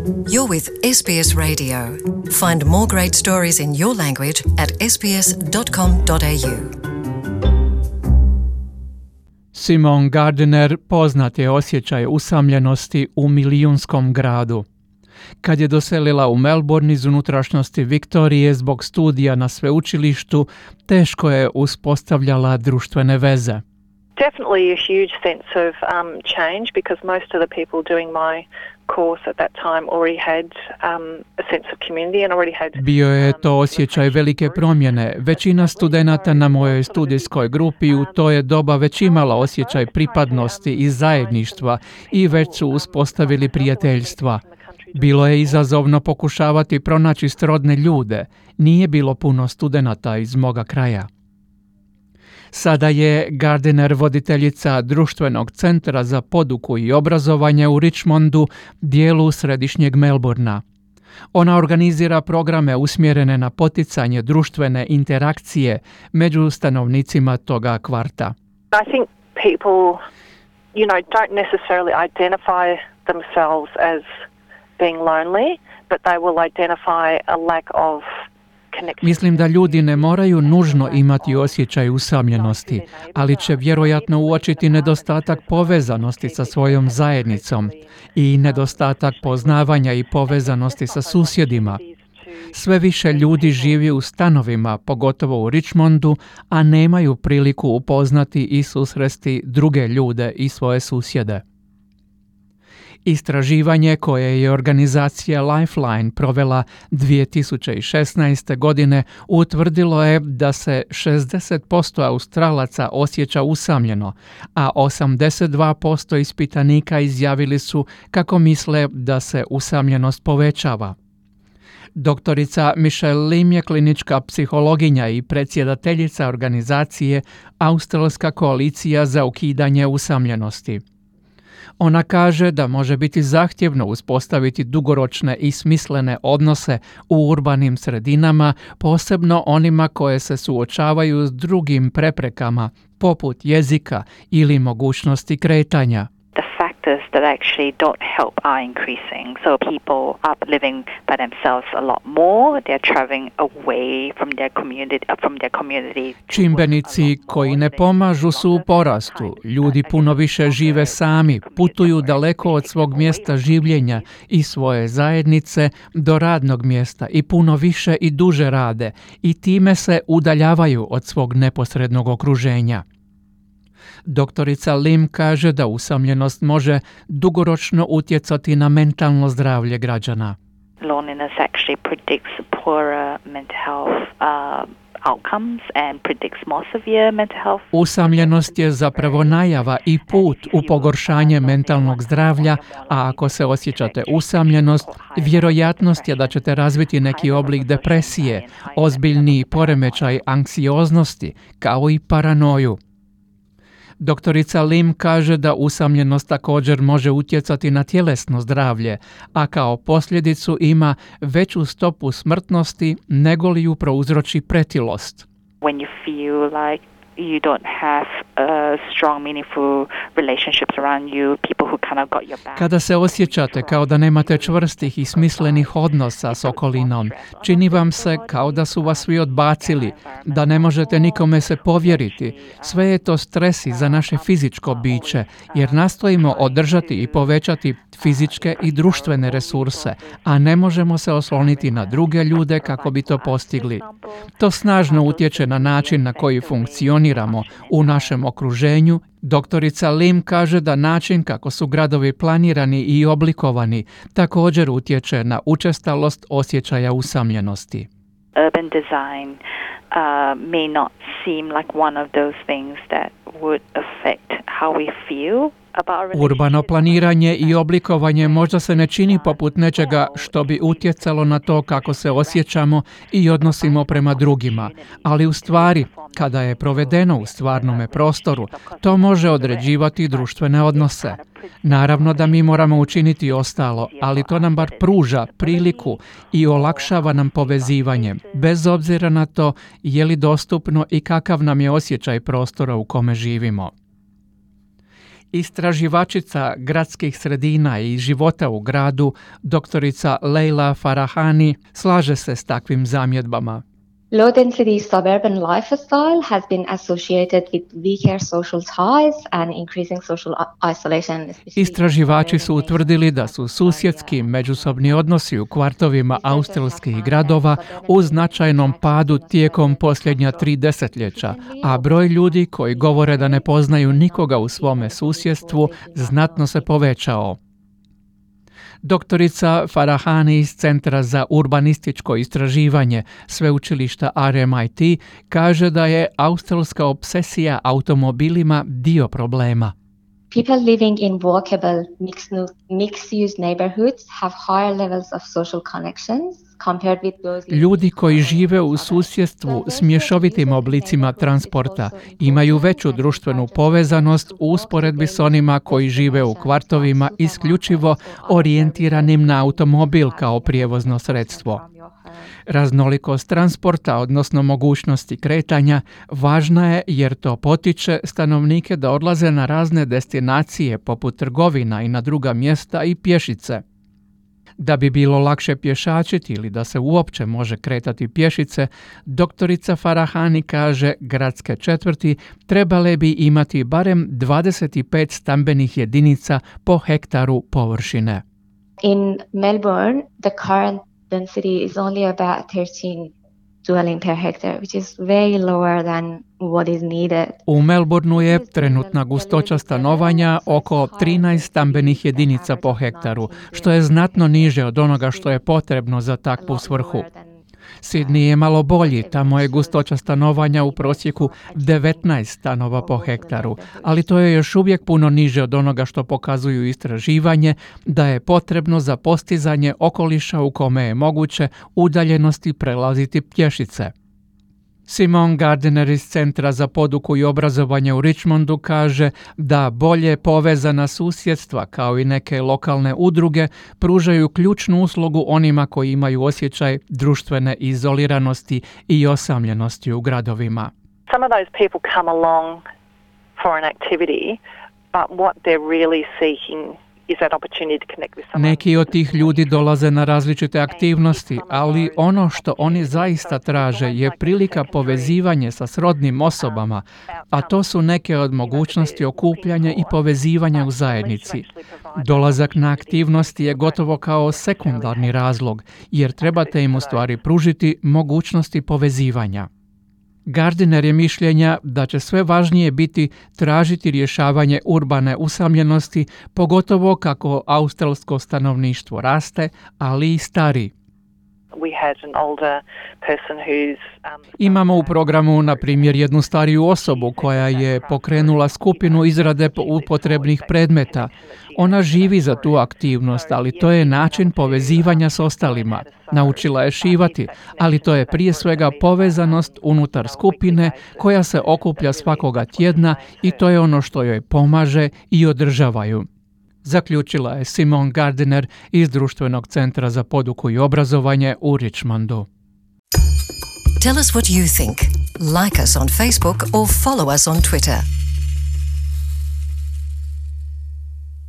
You're with SBS Radio. Find more great stories in your language at sbs.com.au. Simone Gardiner poznat je osjećaj usamljenosti u milijunskom gradu. Kad je doselila u Melbourne iz unutrašnjosti Viktorije zbog studija na sveučilištu, teško je uspostavljala društvene veze. Definitely a huge sense of change because most of the people doing my course at that time already had a sense of community and already had. Bio je to osjećaj velike promjene. Većina studenata na mojoj studijskoj grupi u to je doba već imala osjećaj pripadnosti i zajedništva i već su uspostavili prijateljstva. Bilo je izazovno pokušavati pronaći srodne ljude. Nije bilo puno studenata iz moga kraja. Sada je Gardiner voditeljica društvenog centra za poduku i obrazovanje u Richmondu, dijelu središnjeg Melbourna. Ona organizira programe usmjerene na poticanje društvene interakcije među stanovnicima toga kvarta. I think people, don't necessarily identify themselves as being lonely, but they will identify a lack of. Mislim da ljudi ne moraju nužno imati osjećaj usamljenosti, ali će vjerojatno uočiti nedostatak povezanosti sa svojom zajednicom i nedostatak poznavanja i povezanosti sa susjedima. Sve više ljudi živi u stanovima, pogotovo u Richmondu, a nemaju priliku upoznati i susresti druge ljude i svoje susjede. Istraživanje koje je organizacija Lifeline provela 2016. godine utvrdilo je da se 60% Australaca osjeća usamljeno, a 82% ispitanika izjavili su kako misle da se usamljenost povećava. Doktorica Michelle Lim je klinička psihologinja i predsjedateljica organizacije Australska koalicija za ukidanje usamljenosti. Ona kaže da može biti zahtjevno uspostaviti dugoročne i smislene odnose u urbanim sredinama, posebno onima koje se suočavaju s drugim preprekama, poput jezika ili mogućnosti kretanja. That actually don't help are increasing. So people are living by themselves a lot more. They're traveling away from their community. Čimbenici koji ne pomažu su u porastu. Ljudi puno više žive sami, putuju daleko od svog mjesta življenja i svoje zajednice do radnog mjesta i puno više i duže rade i time se udaljavaju od svog neposrednog okruženja. Doktorica Lim kaže da usamljenost može dugoročno utjecati na mentalno zdravlje građana. Loneliness actually predicts poorer mental health outcomes and predicts more severe mental health. Usamljenost je zapravo najava i put u pogoršanje mentalnog zdravlja, a ako se osjećate usamljenost, vjerojatnost je da ćete razviti neki oblik depresije, ozbiljni poremećaj anksioznosti, kao i paranoju. Doktorica Lim kaže da usamljenost također može utjecati na tjelesno zdravlje, a kao posljedicu ima veću stopu smrtnosti nego li ju prouzroči pretilost. When you feel like you don't have strong, meaningful relationships around you, people who kind of got your back. Kada se osjećate kao da nemate čvrstih i smislenih odnosa s okolinom, čini vam se kao da su vas svi odbacili, da ne možete nikome se povjeriti. Sve je to stres i za naše fizičko biće, jer nastojimo održati i povećati fizičke i društvene resurse, a ne možemo se osloniti na druge ljude kako bi to postigli. To snažno utječe na način na koji funkcioniramo u našem okruženju. Doktorica Lim kaže da način kako su gradovi planirani i oblikovani također utječe na učestalost osjećaja usamljenosti. Urban design may not seem like one of those things that would affect how we feel. Urbano planiranje i oblikovanje možda se ne čini poput nečega što bi utjecalo na to kako se osjećamo i odnosimo prema drugima, ali u stvari, kada je provedeno u stvarnome prostoru, to može određivati društvene odnose. Naravno da mi moramo učiniti ostalo, ali to nam bar pruža priliku i olakšava nam povezivanje, bez obzira na to je li dostupno i kakav nam je osjećaj prostora u kome živimo. Istraživačica gradskih sredina i života u gradu, doktorica Leila Farahani, slaže se s takvim zamjedbama. Low-density suburban lifestyle has been associated with weaker social ties and increasing social isolation. Istraživači su utvrdili da su susjedski međusobni odnosi u kvartovima australskih gradova u značajnom padu tijekom posljednja 3 desetljeća, a broj ljudi koji govore da ne poznaju nikoga u svome susjedstvu znatno se povećao. Doktorica Farahani iz Centra za urbanističko istraživanje sveučilišta RMIT kaže da je australska obsesija automobilima dio problema. People living in walkable mixed-use neighborhoods have higher levels of social connections compared with those. Ljudi koji žive u susjedstvu s mješovitim oblicima transporta imaju veću društvenu povezanost u usporedbi s onima koji žive u kvartovima isključivo orijentiranim na automobil kao prijevozno sredstvo. Raznolikost transporta, odnosno mogućnosti kretanja, važna je jer to potiče stanovnike da odlaze na razne destinacije poput trgovina i na druga mjesta i pješice. Da bi bilo lakše pješačiti ili da se uopće može kretati pješice, doktorica Farahani kaže gradske četvrti trebale bi imati barem 25 stambenih jedinica po hektaru površine. In Melbourne, the current density is only about 13 dwelling per hectare, which is way lower than what is needed. U Melbourneu je trenutna gustoća stanovanja oko 13 stambenih jedinica po hektaru, što je znatno niže od onoga što je potrebno za takvu svrhu. Sydney je malo bolji, tamo je gustoća stanovanja u prosjeku 19 stanova po hektaru, ali to je još uvijek puno niže od onoga što pokazuju istraživanje da je potrebno za postizanje okoliša u kome je moguće udaljenosti prelaziti pješice. Simon Gardiner iz Centra za poduku i obrazovanje u Richmondu kaže da bolje povezana susjedstva kao i neke lokalne udruge pružaju ključnu uslugu onima koji imaju osjećaj društvene izoliranosti i osamljenosti u gradovima. Some of those people come along for an activity, but what they're really seeking is that opportunity to connect with someone. Neki od tih ljudi dolaze na različite aktivnosti, ali ono što oni zaista traže je prilika povezivanja sa srodnim osobama, a to su neke od mogućnosti okupljanja i povezivanja u zajednici. Dolazak na aktivnosti je gotovo kao sekundarni razlog, jer trebate im u stvari pružiti mogućnosti povezivanja. Gardiner je mišljenja da će sve važnije biti tražiti rješavanje urbane usamljenosti, pogotovo kako australsko stanovništvo raste, ali i stari. Imamo u programu, na primjer, jednu stariju osobu koja je pokrenula skupinu izrade upotrebnih predmeta. Ona živi za tu aktivnost, ali to je način povezivanja s ostalima. Naučila je šivati, ali to je prije svega povezanost unutar skupine koja se okuplja svakoga tjedna i to je ono što joj pomaže i održava ju. Zaključila je Simon Gardiner iz Društvenog centra za poduku i obrazovanje u Richmondu. Tell us what you think. Like us on Facebook or follow us on Twitter.